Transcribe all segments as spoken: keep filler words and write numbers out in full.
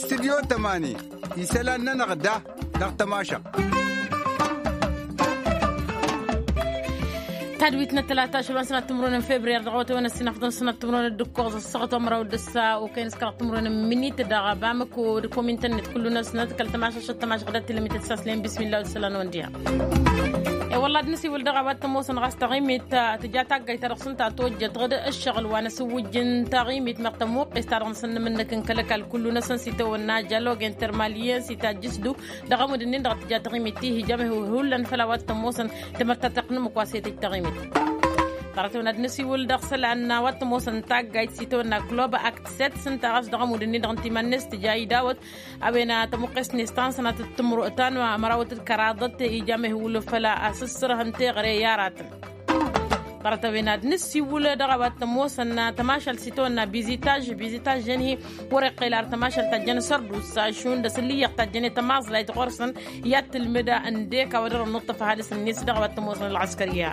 Studyo tămani isălan-nănăɣ da dăɣ-tămašăɣt. Tadwit n-ăttălata ašăl wa n-sănat timǝrwen n-febriyar dăɣ-awătăwen ăssinafḍăn sănat timǝrwen d-ǝkkoẓ ăssaɣăt wa n-măraw d-ǝssa okăyăn s-kăraɣ timǝrwen n-minit dăɣ-bamăko d-komintăn-net kullu-năsnăt kăl-tămašăšăt tămašăɣ d-ăttilămit d-saslen bismilla wăd-isălan wa n-diha. E-wălla ad-nǝsiwǝl dăɣ-a-wa t-ămoosăn ɣas taɣimit tǝja taggayt-ta-dăɣ s-ǝnta tojjăt ɣǝd ǝššăɣǝl wa n-asǝwwǝjj n-taɣimit meɣ tămuqqes-ta-dăɣ n-asăn n-imǝnnǝk n-kăl-ăkall kullu-năsăn s-itawănna jalog intermalyen s-itajjǝsdu dăɣ-amud-nin-dăɣ tǝja taɣimit-i hi-ija mehewhullan făll-a-wa t-ămoosăn timărtateɣt n-ǝmmǝk wa s-e-tăj taɣimit. Ḍarăt-wen ad-nǝsiwǝl dăɣ-isălan n-a-wa t-ămoosăn taggayt s-itawănna club act set s-ǝnta ɣas dăɣ-amud-nin-dăɣ n-timan-net tǝja idawăt a-wen tămuqqes-net ta n-sănatăt timǝrwăt ta n-mărawăt d-kăraḍăt ija mehǝwǝl făll-a-s ǝssărhăn teɣăre i-aratăn. Ḍarăt-a-wen ad-nǝsiwǝl dăɣ-a-wa t-ămoosăn tămašalt s-itawănna bizitaž bizitaž-en-hi wăr-iqqel ar tămašalt ta jăn sărdusa šund ăsǝllǝyyăɣ ta jăn i-tămaẓlayt ɣur-săn i-ad-tǝlmǝd ǝndek a-wa dăr-ănnuṭṭăf ăhalǝs-net dăɣ-a-wa t-ămoosăn ălɣăskăr i-a.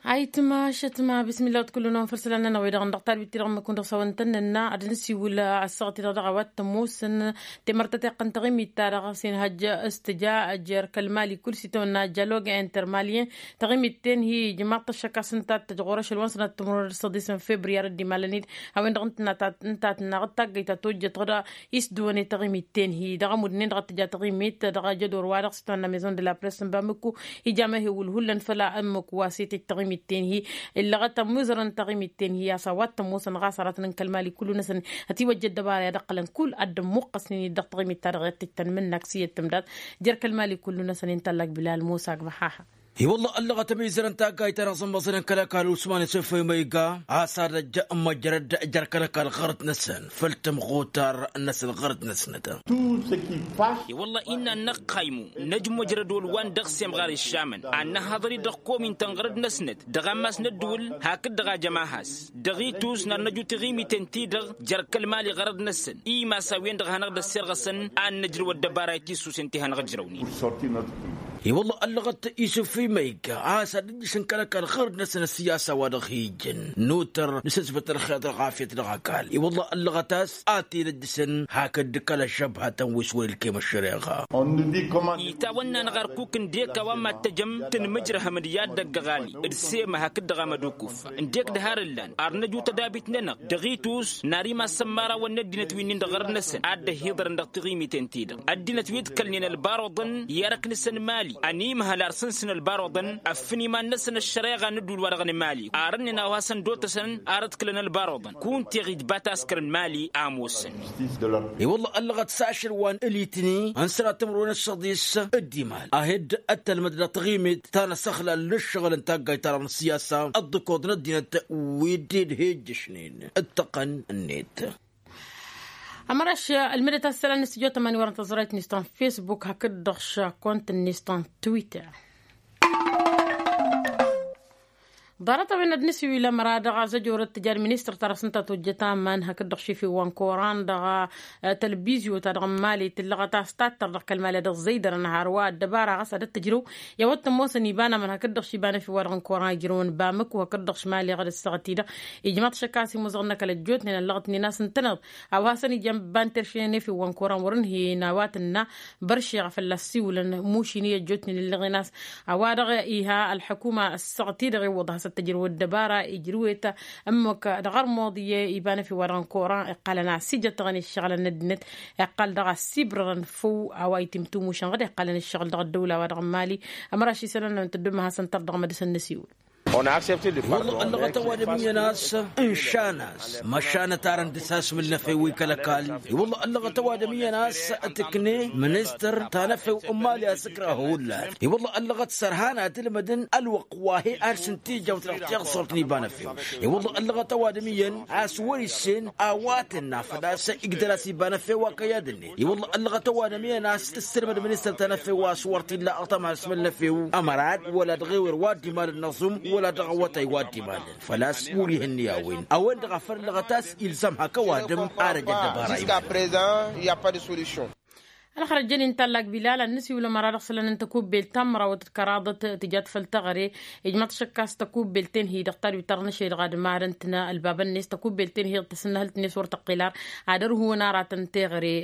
Ayǝtma ašătma bismillah wăt kullu-năwăn făll-isălan-nănăɣ wi-dăɣ n-dăɣ tadwit-ti-dăɣ n-măkun dăɣ-sawăn-tăn-nănna ad-nǝsiwǝl ăssaɣăt-i-dăɣ dăɣ-a-wa t-ămoosăn timărtăteɣt n-taɣimit-ta-dăɣ s-inhăjj s-tǝja jer-kăl-mali kull s-itawănna jalog intermalyen. Taɣimit-ten-hi ijmaḍ-t ăššăk a-s ǝnta ad-tăj ɣur-ašăl wa n-sănat timǝrwen d-săḍis n-febriyar d-imalăn-dd. A-wen-dăɣ ǝntănna ta ǝnta a tǝnnaɣ d-taggăyt ta tojjăt ɣǝd isdǝwăn i-taɣimit-ten-hi dăɣ-amud-nin-dăɣ a t-tǝja taɣimit dăɣ-ajădor-wa-dăɣ s-itawănna maison de la press n-bamǝkku. Ija mehewǝl hullan făll-a ǝmmǝk wa s-e-tăj taɣimit-ten-hi illăɣăt ămuzărăn taɣimit-ten-hi a-s a-wa t-ămoosăn ɣas aratăn n-kăl-mali kullu-năsăn ătiwăjja ăddăbara i-ad-ǝqqălăn kull ad-dd-ămmuqqăsnen-dd dăɣ-taɣimit-ta-dăɣ i-ad-tǝjtăn mǝnnak s-iyyăt tǝmdat jer-kăl-mali kullu-năsăn inta ăllak bilal musa ăgg măhaha. I-wălla ăllăɣăt ămizărăn taggayt-ta-dăɣ s-ămmăẓnen kăl-ăkall usman isǝffăy ma iga a-s ad-ăj ămmăjrăd jer-kăl-ăkall ɣărăt-năsăn făll-tămɣutar-năsăn ɣărăt-năsnăt. I-wălla innă ad-năqqaymu năj măjrăd wăl-wa n-dăɣ-semɣar iššamăn ad-năhaḍăr-dd dăɣ-komintăn ɣărăt-năsnăt dăɣ-ammas n-ăddǝwǝl hakd-dăɣ a jăm ahas dăɣ-itus n-ad-năj utǝɣimiten-ti-dăɣ jer-kăl-mali ɣărăt-năsăn imas a-wen-dăɣ a hanăɣ-dd-ăssirɣăsăn ad-nǝjrǝw ăddăbara i-tisusen ti hanăɣ-ǝjrăwnen. I-wălla ăllăɣăt isǝffi ma igga a-s ad-ǝjjǝšăn kăl-ăkall ɣărăt-năsăn ăssiyasa wa dăɣ-hi-ijjăn nutăr nǝsǝsbăt ălxer d-ălɣafyăt dăɣ-ăkall i-wălla ăllăɣăt a-s a t-in-ǝjjǝsăn hakd kăl-ăššăbhătăn wi s-wăr-ilkem ăššăreɣa. Itawănna-năɣ arkuk ǝndek a-wa mad-tăjăm tǝnmǝjrăhăm d-i-ad-dăgg-ăɣali d-sema hakd dăɣ-amădukuf ǝndek d-har ǝllan ar năju tădabit-nănăɣ dăɣ-itus n-ar imass n-imărawăn n-ăddinăt wi-nin-dăɣ ɣărăt-năsăn ad-dd-ăhiḍărăn dăɣ-tiɣimiten-ti-dăɣ ăddinăt wi ǝḍkălnen ălbaruḍăn i-erk-năsăn mali ănimhăl ar sǝnsǝn ălbaruḍăn ăffǝn iman-năsăn ăššăreɣa n-ădduul-wa-dăɣ n-mali ar ǝnnen a-wa hasăn-dd-otăsăn ar ǝḍkǝlăn ălbaruḍăn kunta iɣ-ijba taskăr n-mali a ămoosăn. I-wălla ăllăɣăt s-ašăl wa n-ălitni n-sănat timǝrwen d-săḍis d-imal a he-dd-ăttălmăd dăɣ-taɣimit ta n-asăxlal n-ǝššăɣǝl n-taggayt-ta-dăɣ n-ăssiyasa ăḍḍǝkoḍ n-ăddinăt wi dd-he-ǝjjǝšnen ǝttăqqăn-net. Ămăraš ălmǝdăt asălan n-stujo tămani wărăn tăẓrayt-net ta n-facebook hakd-dăɣ šakont-net ta n-twitter. Ḍarăt-a-wen ad-nǝsiwǝl ămăra dăɣ-azăjorăt tǝja d-ministăr-ta-dăɣ s-ǝnta tojjăt aman hakd-dăɣ šefew wa n-koran dăɣ-tălbizyo-ta-dăɣ n-mali tǝllăɣăt a-s tattăr dăɣ-kăl-mali ad-ăẓẓăydărăn har wa ăddăbara ɣas ad-ăttăjrăw i-a-wa t-ămoosăn iba n-aman hakd-dăɣ š-iba n-efew wa dăɣ-n koran ijrăwăn bamǝk wa hakd-dăɣ š-mali ɣad ǝssaɣăt-i-dăɣ. Ijmaḍ šăkka a-s imuzăɣ n-ăkall ăjjootnen ăllăɣătnen a-s ǝntăneḍ a-wa hasăn-ijăn banter šenefew wa n-koran wăr-ǝnhǝyăn a-wa tǝnna băršeɣ fălla-s siwǝlăn mušin i-ăjjootnen ǝllăɣen a-s a-wa-dăɣ iha ălḥukuma ăssaɣăt-i-dăɣ iwwăḍ hasăn-tăjrăw ăddăbara ijrǝw-et ămmăk dăɣ-armuḍ i-iba n-efew wa dăɣ-n koran iqqălăn a-s ijăttăɣăn i-ǝššăɣǝlăn n-ăddinăt iqqăl daɣ ăssibrărăn făw a-wa itimtumu šănɣăd iqqălăn ǝššăɣǝl dăɣ-ăddăwla wa dăɣ-n mali. Ămăraš isălan-năwăn tăddom ad-dăɣ-săn tărdăɣ mădăsăn n-asiwǝl. Wălla ăllăɣăt ăwadǝm iyyăn a-s ǝnšan-as măšan ătarăn dăr-s asmǝl n-efew wi kăl-ăkall. I-wălla ăllăɣăt ăwadǝm iyyăn a-s tǝkne ministăr ta n-efew n-mali a-s ǝkrăh hullan. I-wălla ăllăɣăt sărhan ad-ǝlmădăn ălwăqq wa he-ad sǝnta ijawt dăɣ-tiɣsurt n-iba n-efew. I-wălla ăllăɣăt ăwadǝm iyyăn a-s wăr-issen a-wa tǝnna făl-a-s igdăr-as iba n-efew wa kăy-ad-ǝnnet. I-wălla ăllăɣăt ăwadǝm iyyăn a-s tǝssǝlmăd ministăr ta n-efew a-s wăr t-illa ăṭṭăma asmǝl n-efew ămărad wăla dăɣ-ewăr wa dd-imalăn n-aẓum wăla dăɣ-awătay wa dd-imalăn. Făl-a-s wăr-ih ǝnni a-wen a-wen-dăɣ a făl ǝllăɣăt a-s ilzam hak ăwadǝm. Ar ăj ăddăbara. Iba. Ălxărăt jăn-in tallak bilal ad-nǝsiwǝl ămăra dăɣ-isălan n-tăkubbelt ta n-mărawăt d-kăraḍăt tǝjat făll-teɣăre. Ijmaḍ-t šăkkas tăkubbelt-en hi-dăɣ tadwit ta dăɣ-năšăy dăɣ-ad-marăn-tnă ălbabăn-net tăkubbelt-en hi-dăɣ tăsǝnnăhǝlt-net wăr tăqqel ar ad-ărhǝwăn aratăn teɣăre.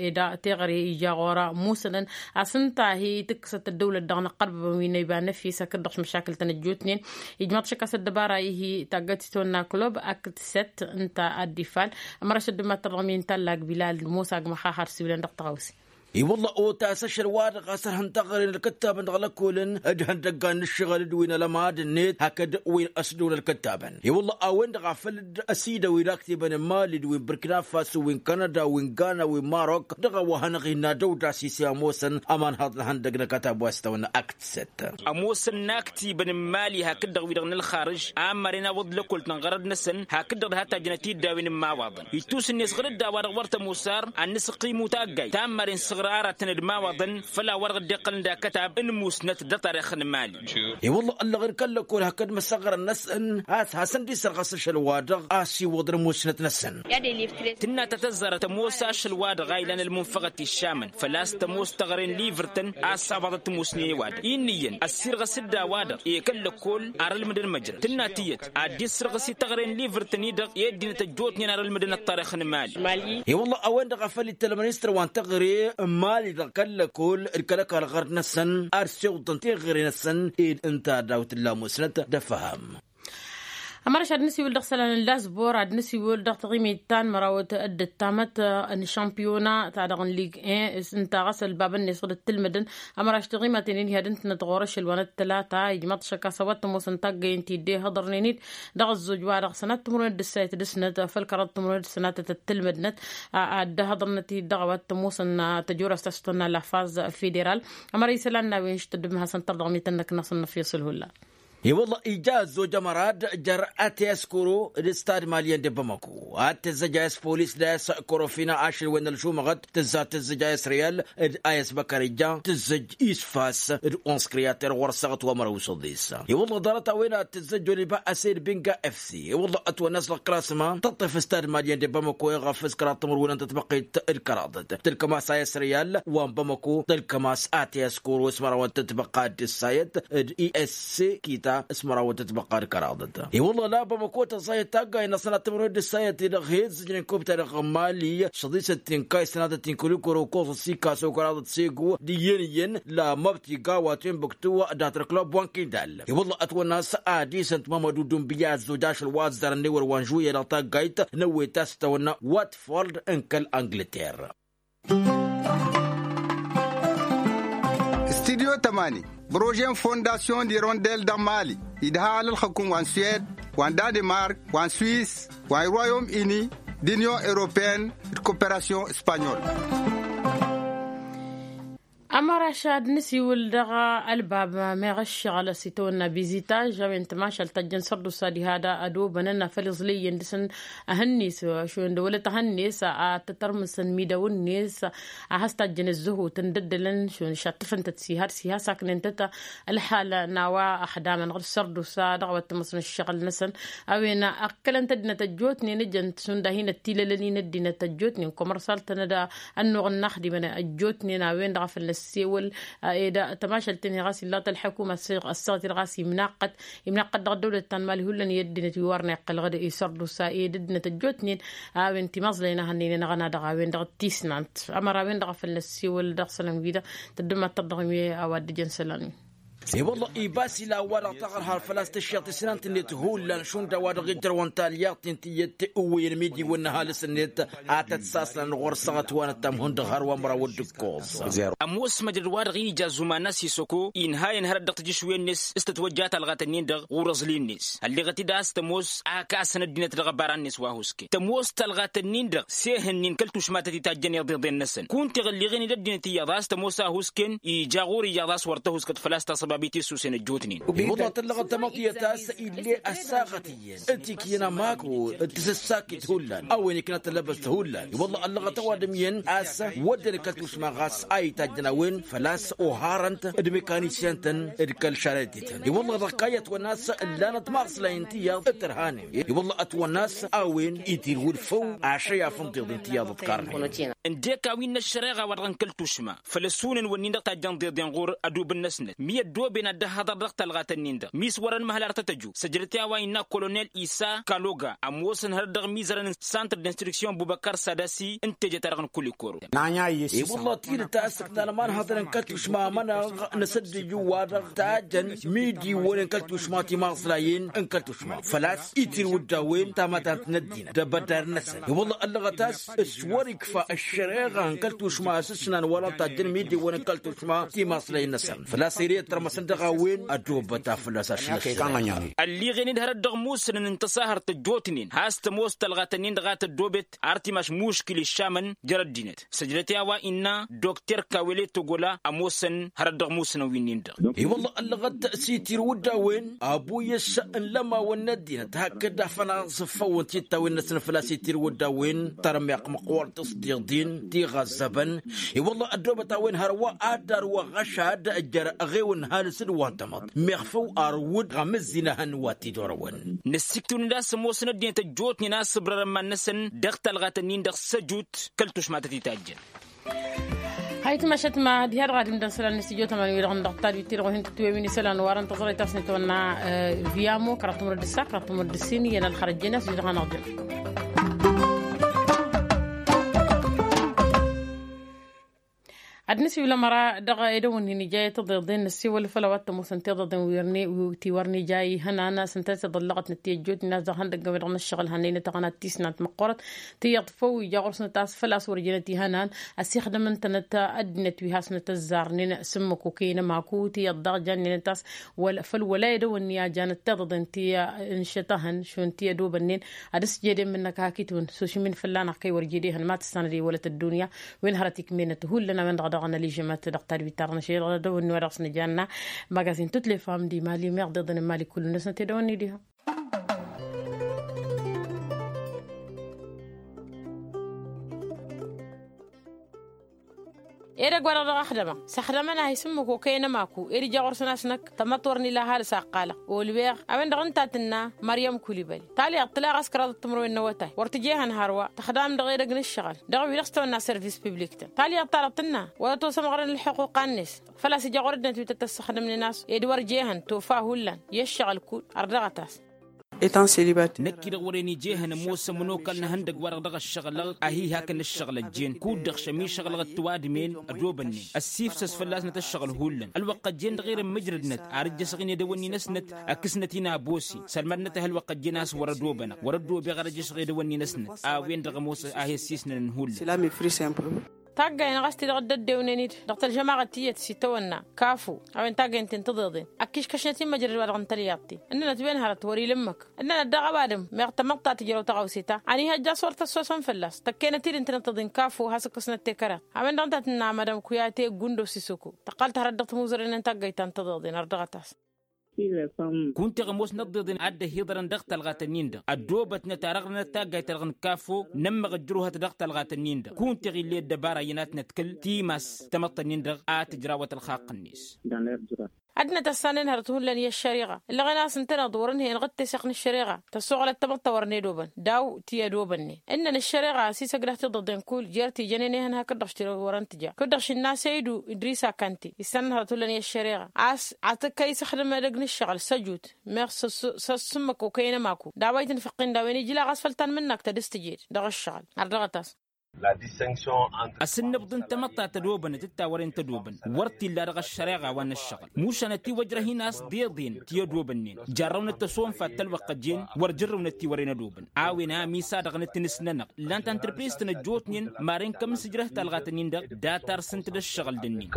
Teɣăre ija ɣur-musănăn a-s ǝnta hi-tǝkkǝsăt ăddăwlăt dăɣ-inăqqărbăbăn wi n-ăyba n-efis hakd-dăɣ s-măšakǝl-tăn ăjjootnen. Ijmaḍ-t šăkkas ăddăbara ihi taggăt s-tonna klub akd săt ǝnta ad-dd-ifal. Ămăra šăddǝmmat tărdăɣ mi n-tallak bilal musa agmăxaxar s-iwlăn dăɣ-tăɣawse. I-wălla otas ašăl-wa-dăɣ a-s ărhăn taɣăre n-ălkăttabăn dăɣ-lăkkolăn d-ihăndăggan n-ǝššăɣǝl d-wi n-alămad-net hakd wi n-ăsdăw n-ălkăttabăn. I-wălla a-wen-dăɣ a făl-dd ăsidăw wi n-aktibăn n-mali d-wi n-bărkina faso wi n-kanada wi n-gana wi n-marok dăɣ-a-wa hanăɣ-innă dăw-dd a-s ise ămoosăn ămanhăḍ n-ihăndăg n-ăkătab wa s-tawănna akt săt. Ămoosăn n-aktibăn n-mali hakd-dăɣ wi-dăɣ n-ălxarǝž a ămmăren awǝḍ lăkol tănɣărăd-năsăn hakd-dăɣ d-ha tajjăn ătiddawen n-imawaḍăn ittus-net ɣǝr-dd a-wa-dăɣ wăr tămoos ar ad-nǝsǝqqim u-taggayt ta n-maren săɣra aratăn d-imawaḍăn făl a-wa-dăɣ dd-iqqălăn d-akătab n-musnăt d-atarix n-mali. I-wălla ăllăɣ-in kăl-lăkol hakd măsăɣrăn-năsăn a-s hasăn-dd-isărɣăs ašăl-wa-dăɣ a-s iwwăḍăn musnăt-năsăn. Tǝnna ta tăzzarăt ămoos ašăl-wa-dăɣ a ilan ălmunfăɣăt iššamăn făl-a-s tămoos teɣăre n-livǝrtăn a ăssabaḍăt timusnen i-wa-dăɣ inn'-iyyăn ăssirɣăs-dd a-wa-dăɣ i-kăl-lăkkol ar ǝlmǝdăn măjrăd tǝnna tiyyăt ad-dd-issărɣǝs i-teɣăre n-livǝrtăn-i-dăɣ i-ăddinăt ăjjootnen ar ǝlmǝdăn ăṭṭarix n-mali. I-wălla a-wen-dăɣ a făl ittălmăn isǝrwa n-teɣăre n-mali-dăɣ kăl-lăkkol d-kăl-ăkall ɣărd-năsăn ar siwǝḍăn teɣăre-năsăn ed ǝnta daw-tǝlla musnăt d-ăfham. Ămăraš ad-nǝsiwǝl dăɣ-isălan n-lasbor ad-nǝsiwǝl dăɣ-taɣimit ta n-mărawăt d-ăttamăt n-šămpiyona ta dăɣ-n lig-en ǝnta ɣas ălbabăn-net ɣǝd ăttǝlmǝdăn. Ămăraš taɣimaten-in hi-ad-ǝntǝnăt ɣur-ašăl wa n-ăttălata ijmaḍ šăkk a-s a-wa t-ămoosăn taggăyăn ti dd-ehăḍărnen-dd dăɣ-ăzzoj-wa-dăɣ sănat timǝrwen d-ǝssayăt d-ăsnăt făll-kăraḍ timǝrwen d-sănatăt ăttǝlmǝdnăt ad-dd-ehăḍărnăt-dd dăɣ-a-wa t-ămoosăn tăjorăst a-s tănna lafaz federal. Ămăra isălan n-a-wen š-tăddǝm hasăn-tărdăɣ mi tăn-năknăsăn n-efyăs ǝlhulla. I-wălla ija ăzzoj ămăra d-jer-ătescoro d-stad malyen d-bamako ad-tǝzzăj a-s polis d-a-s korofina ašăl wen n-ălšumăɣăt tǝzza tǝzzăj a-s riyal d-a-s băkăr ija tǝzzăj isfas d-ons kriyater ɣur-săɣăt wa măraw s-ăḍis. I-wălla ḍarăt a-wen ad-tǝzzăj oliba ased binga fc i-wălla ătwănna a-s dăɣ-klasma tăṭṭef stad malyen d-bamako iɣăf s-kăraḍ timǝrwen n-tătbăqqit d-kăraḍăt tǝlkăm-as a-s riyal wa n-bamako tǝlkăm-as ătescoro s-măraw n-tătbăqqa d-ǝssayăt d-i s kita s-măraw n-tătbăqqa d-kăraḍăt. I-wălla la bamako tăẓẓayăt taggayt n-asănat timǝrwen d-ǝssayăt-i-dăɣ hi-ǝzzǝjnen kubta dăɣ-mali šăḍisăt tinkay sănatăt tinkulikoro koẓ s-ikaso kăraḍăt segu d-iyyăn-iyyăn la măbti gawa timbuktu dat-ălklub wa n-kindal. I-wălla ătwănna a-s ad-isǝnt mămădu dunbǝya ăzzoj ašăl wa ăzzarăn n-ewăr wa n-žuya dăɣ-taggayt n-ewwet a-s tăwănna watford n-kăl-angǝlter. Studyo tămani, brožen fondasyon d-irondel dăɣ-mali idha alălxăkum wa n-suwed, wa n-danemark, wa n-swis, wa n-royom ini, d-inyon europeen d-koperasyon spanyol. Ămăraš ad-nǝsiwǝl dăɣ-ălbab meɣ ǝššăɣǝl s-itawănna bizitaj a-wen tămašalt ta jăn sărdusa diha da ădobănăn afăl iẓlăyyăn dăɣ-săn, ahănnes šund wălăt ahănnes ad-tătărmǝsăn midaw-net a has-tajjăn ǝzzăhut n-dd-ǝlăn šund šattăfăn-tăt s-iha d-s-iha saknen-tăt. Ălxal n-a-wa ăxdamăn ɣǝr-sărdusa dăɣ-a-wa t-ămoosăn ǝššăɣǝl-năsăn a-wen ăkkălăn-t ăddinăt ăjjootnen ǝjăn-t šund a hin-ăttilălăn-in ăddinăt ăjjootnen komărsal-tăn d-ănnuɣ n-inaxdimăn ăjjootnen a-wen-dăɣ a făl năssewăl. Ed tămašalt-in-hi ɣas illaḍ ălḥăkuma ăssaɣăt-dd ɣas imnaqqăt imnaqqăt dăɣ-ăddăwlăt ta n-mali hullan i-ăddinăt wi wărăn iqqăl ɣǝd isărdusa ed ăddinăt ăjjootnen. A-wen timaẓlăyăn a hănnăynen ăɣna dăɣ-a-wen-dăɣ d-tisnant ămăra a-wen-dăɣ a făl năssiwăl dăɣ-isălan-wi-dăɣ. Tăddǝm ad-tărdăɣ wi a-wa dd-ijăn isălan-wi. I-wălla ibas ila a-wa-dăɣ taɣărhar făl-a-s tǝššeɣ tisnant-net hullan šund a-wa-dăɣ ijrăwăn talyaḍt-in tiyyăt iwwăyăn imidi wǝnnăhalǝs-net. Ad-tăt-sasnăn ɣur-săɣăt wa n-ăttam hundăɣ hărwa măraw d-ǝkkoẓ. Ămoos măjrăd-wa-dăɣ ija zuman-a s-isoko inhayăn hărăt dăɣ-tijǝšwen-net s-tătwăjja talɣat-ǝnnin-dăɣ ɣur-aẓli-net ălleɣăt-dd a-s tămoos akasăn ăddinăt dăɣ-ăbara-net wa husken tămoos talɣat-ǝnnin-dăɣ sehăn-in kăl-tušmatăt itajjăn iḍeḍen-năsăn kunta iɣǝlliɣen-dd ăddinăt iyyăḍ a-s tămoos a husken ija ɣur-iyyăḍ a-s wăr tăhuskăt făl-a-s tasăb. ăṭṭab i-tisusen ăjjootnen. I-wălla tăllăɣăt tamăḍt iyyăt a-s ill'-e ăssaɣăt iyyăn ătikǝyăn amako d-tisǝssakit hullan a-wen ikna tăllăbăst hullan. I-wălla ăllăɣăt ăwadǝm iyyăn a-s wădden kăl-tušma ɣas a itajjăn a-wen făl-a-s oharăn-t d-mekanisyan-tăn d-kăl-šarăyăt-tăn. I-wălla dăɣ-kayyăt-wăn a-s ǝllanăt maɣslayăn tiyyăḍ d-tărhanen. I-wălla ătwănna a-s a-wen itirwǝd făw ašăyaf n-tiḍen tiyyăḍ ǝḍkarnen. Ǝndek a-wen n-ăššăreɣa-wa-dăɣ n-kăl-tušma făl ăsunăn-wǝnnin-dăɣ tajjăn tiḍen ɣur-ădub-năsnăt mi ăddooben ad-dd-ăhhăḍăr dăɣ-talɣat-nin-dăɣ mi s-wărăn măhăl ar tăt-ăju săjdăt i-a-wa innă kolonel isa kaloga ămoosăn hărăt dăɣ-imizărăn n-santr d-instruksyon bubăkar sadasi n-teje-ta-dăɣ n-kulikoro. I-wălla tidǝt a-s ǝknalăm anhăḍăn n-kăl-tušma amănăɣ n-asăddǝju-wa-dăɣ tajjăn midiwăn n-kăl-tušma timaẓlayen n-kăl-tušma făl-a-s itirwǝd d-a-wen tamătant n-ăddinăt d-abădar-năsăn. I-wălla ăllăɣăt a-s s-wăr-ikfa ăššăreɣa n-kăl-tušma a-s ǝsnan wăla tajjăn midiwăn n-kăl-tušma timaẓlayen-năsăn făl-a-s ere ătrămăsăn dăɣ-a-wen ădobăt a făl-a-s ašăl-ăššăreɣa. Ălliɣen-dd hărăt dăɣ-musǝnăn n-tăsahărt ăjjootnen has-tămoos talɣat-nin-dăɣ a tăddobet ar timaš muškil iššamăn jer-ăddinăt săjdăt i-a-wa innă dokter kawele togola ămoosăn hărăt dăɣ-musǝnăn wi-nin-dăɣ. I-wălla ăllăɣăt s-itirwǝd d-a-wen abu i-ăššăɣ n-lămawăn n-ăddinăt hakd afănaẓ făw n-tiṭṭawen-năsăn făl-a-s itirwǝd d-a-wen tărmeɣ măqqoorăt s-tiḍin tiɣăzzăbăn. I-wălla ăddoobăt a-wen hărwa ad-darwăɣ ăšad jer-ăɣewăn halǝs d-wa n-tamăḍt meɣ făw arwǝd ɣăm ǝzzin ahăn wa t-dd-orăwăn. Năssiktǝwăn-dd a-s ămoosăn ăddinăt ăjjootnen a-s ǝbrărăn iman-năsăn dăɣ-talɣat-nin-dăɣ săjut kăl-tušma tăt-itajjăn. Hayǝtma ašătma diha-dăɣ ad-dd-ǝmdăn isălan n-istijjo tămani wi-dăɣ n-dăɣ tadwit-ti-dăɣ wa hin-tǝtwewin isălan wa dăɣ-n tăẓrăyt a-s n-itwănna. Viyamo kăraḍ timǝrǝd d-ǝssa kăraḍ timǝrǝd d-ǝssin iyyăn ălxărăt jen a-s wi-dăɣ hanăɣ-jen. Ad-nǝsiwǝl ămăra dăɣ-edăwănnin ija i-tăḍeḍen năssiwăl făll-a-wa t-ămoosăn tiḍeḍen wi ti wăr nija ihănan a-s ǝnta a s-iḍăllăɣătnăt ti ăjjootnen a-s dăɣ-ihăndăgg n-wi-dăɣ n-ǝššăɣǝl hannăynăt aɣăna tisnant măqqoorăt tiyyăḍ făw ija ɣur-snăt a-s făl-a-s wăr jenăt ihănan ăsixdăm ǝntănăt ăddinăt wi hasnăt ăzzarnen s-ǝmmǝk okăyăn ămaku tiyyăḍ daɣ jannenăt a-s făl wăla edăwănni a janăt tiḍeḍen ti ǝnšătăhăn šund ti ădobănnen ad-ăsjed i-ǝmmǝnnăk hak itwǝn s-ošǝmin fălla-năɣ kăy wăr jedehăn ma tǝssanăd i-wălăt ăddunya. Wen hărăt ikmenăt hullan a-wen-dăɣ daɣ anăližămăt dăɣ-tadwit-ta-dăɣ n-ašăl dăɣ-edăwănni wa dăɣ-s nǝjanna magazin tutlefa n-dimali meɣ deḍăn n-mali kullu-năsnăt edăwănni diha. Edăgg wa dăɣ-dăɣ ăxdămăɣ s-ăxdămăn-ahi s-ǝmmǝk okăyăn ămaku ed ija ɣur-săn a-s năkk tamăḍt wăr nǝla ăhalǝs a ǝqqalăɣ olweɣ a-wen-dăɣ ǝnta a tǝnna măryăm kulibăli talyaḍt tǝla ɣas kăraḍăt timǝrwen n-awătay wăr tǝjehăn hărwa tăxdam dăɣ-edăgg n-ǝššăɣǝl dăɣ-wi dăɣ-s tawănna service publik-tăn talyaḍt-ta-dăɣ tǝnna wăla tosămɣărăn ǝlxuqquq-net făl-a-s ija ɣur-ăddinăt wi tăt-ăssăxdămnen a-s ed wăr jehăn tofa hullan i-ǝššăɣǝl kud ărdăɣăt-as. Năkk-i-dăɣ wăren ijehăn ămoos ămănokal n-ehăndăgg-wa-dăɣ dăɣ-ăššăɣǝlăɣ ahi hakăn ǝššăɣǝl ăjjeen kud-dăɣ šămišăɣǝlăɣ d-tiwadǝmen ădobănnen ăssifsăs fălla-snăt ǝššăɣǝl hullan ălwăqq ăjjeen dăɣ-erăn mǝjrădnăt ar ǝjjăsăɣ-in edăwănni-năsnăt ăkǝsnăt-in abos-i sălmadnăt-ăh ălwăqq ăjjeen a-s wăr ădobănăɣ wăr-ădobeɣ ar ăjjăsăɣ edăwănni-năsnăt a-wen-dăɣ ămoos a he-ăssisnănăn hullan. Taggayen ɣas ti-dăɣ dd-ăddewnen-dd dăɣ-tălžămaɣăt tiyyăt s-itawănna kafu a-wen taggayen-ten tǝḍeḍen ăkkiškăšnăt-in măjrăd-wa-dăɣ n-tălyaḍt-ti ǝnnănăt wen hărăt wăr-ila ǝmmǝk ǝnnănăt daɣ ăwadǝm meɣ tamăḍt ta tǝjrăw tăɣawse-ta ănihăjja s-wăr tăssosăn fălla-s tăkkenăt-dd ǝntănăt tăḍin kafu has-ǝkkăsnăt tekăraḍt a-wen-dăɣ ǝnta a tǝnna madam kuyate gundo sisoko tăqqal-t hărăt dăɣ-timuzăren n-taggayt ta n-tăḍeḍen ărdăɣăt-as. Kunta eɣ ămoosnăt tiḍeḍen a dd-ăhiḍărăn dăɣ-talɣat-nin-dăɣ ăddoobătnăt ar ăɣrănăt taggayt-ta-dăɣ n-kafo n-ămmăɣ ăjrăwhăt dăɣ-talɣat-nin-dăɣ kunta eɣ ill'-e ăddăbara iyyăn a tănătkǝl timas tamăḍt-nin-dăɣ a tǝjrawăt ălxaqq-net. Ad-năt ăssanen hărăt hullan i-ăššăriɣa ǝllăɣen a-s ǝntăneḍ wăr-ǝnhăyăn ɣǝtteseɣt n-ăššăriɣa tăssoɣlăt tamăḍt ta wăr n-edobăn daw-ti ădobănnen ǝnnăn ăššăriɣa a-s isăgdăh tiḍeḍen kull jer-ti jănen ehăn hakd-dăɣ š-ti wăr-ăntǝja kud-dăɣ šinna săydu idris akante issănăn hărăt hullan i-ăššăriɣa a-s ad-t-kăy-săxdăm edăgg n-ǝššăɣǝl săjut meɣ s-ăssǝmmăk okăyăn ămaku d-a-wa itǝnfăqqin d-a-wen ijla ɣas făll-tanmǝnnakt ad-dăɣ-s tǝjed dăɣ-ǝššăɣǝl ărdăɣăt-as. Asǝnnǝbḍǝn tamăḍt ta tădobănăt d-ta wăren tădobăn wăr t-illa dăɣ-ăššăreɣa wa n-ǝššăɣǝl mušan ătiwăjrăh-in a-s d-iḍen ti ădobănnen jarrăwnăt tăsonfat ta ălwăqq ăjjeen wăr jărrăwnăt ti wăren ădobăn. A-wen a ămisadăɣnăt n-ǝsnănăɣ ǝllan tantărpes-tăn ăjjootnen maren kămsǝjrăh talɣat-nin-dăɣ data ar s-ǝnta d-ăššăɣǝl d-ǝnnin.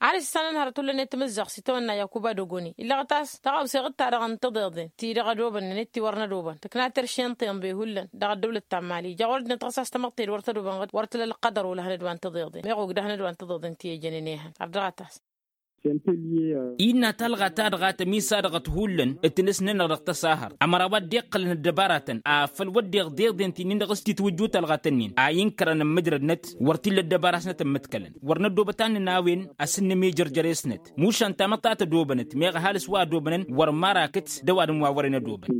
Ad-issănăn hărăt hullan i-timǝzzaɣt s-itawănna yakuba dogoni illăɣăt a-s tăɣawse ɣǝd-ta-dăɣ n-tiḍeḍen ti dăɣ-ădobănnen d-ti wăr n-ădobăn tǝkna terše n-tiḍen be hullan dăɣ-ăddăwlăt ta n-mali ija ɣur-ăddinăt ɣas a-s tamăḍt-e-d wăr tădobăn ɣǝd wăr tǝla ălqădăr olăhăn d-wa n-tiḍeḍen meɣ ogdăhăn d-wa n-tiḍeḍen ti ăjănen ehăn. Ărdăɣăt-as. Innă talɣa ta dăɣ-a tămisadăɣăt hullan d-tinǝsnănăɣ dăɣ-tăsahărt ămăra wa dd-iqqălăn ăddăbaratăn afăl wădden deḍen ti-nin-dăɣ s-titwǝjju talɣa-tăn-in a inkărăn ămmǝjrădnăt wăr t-illa ăddăbara-snăt ămmǝtkălăn wăr năddoobăt ad-nǝnawăn asǝnnǝm i-jărjăre-snăt. Mušan tamăḍt ta tădobănăt meɣ ăhalǝs wa ădobănăn wăr marakăt d-ăwadǝm wa wăren ădobăn.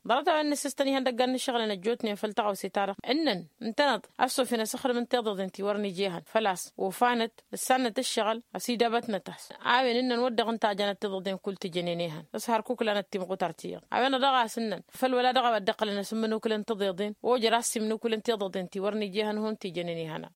Ḍarăt-a-wen n-asǝstăn ihăndăggan n-ǝššăɣǝlăn ăjjootnen făll-taɣăwse-ta-dăɣ ǝnnăn ǝntăneḍ ăssofin asǝxdǝm n-tiḍeḍen ti wăren ija ehăn făl-a-s ofan-dd ǝssannet ǝššăɣǝl ăsidabătnăt-as. A-wen ǝnnăn wăr dăɣ-ǝnta a janăt tiḍeḍen kull tǝjănen ehăn s-hărkuk lanăt timɣutar ti-iyyăḍ a-wen-dăɣ a-s ǝnnăn făl wăla dăɣ-a-wa dd-iqqălăn asǝmmǝnukǝlăn tiḍeḍen ojăr a-s imnukǝlăn tiḍeḍen ti wăren ija ehăn hun tǝjănen ehăn-a.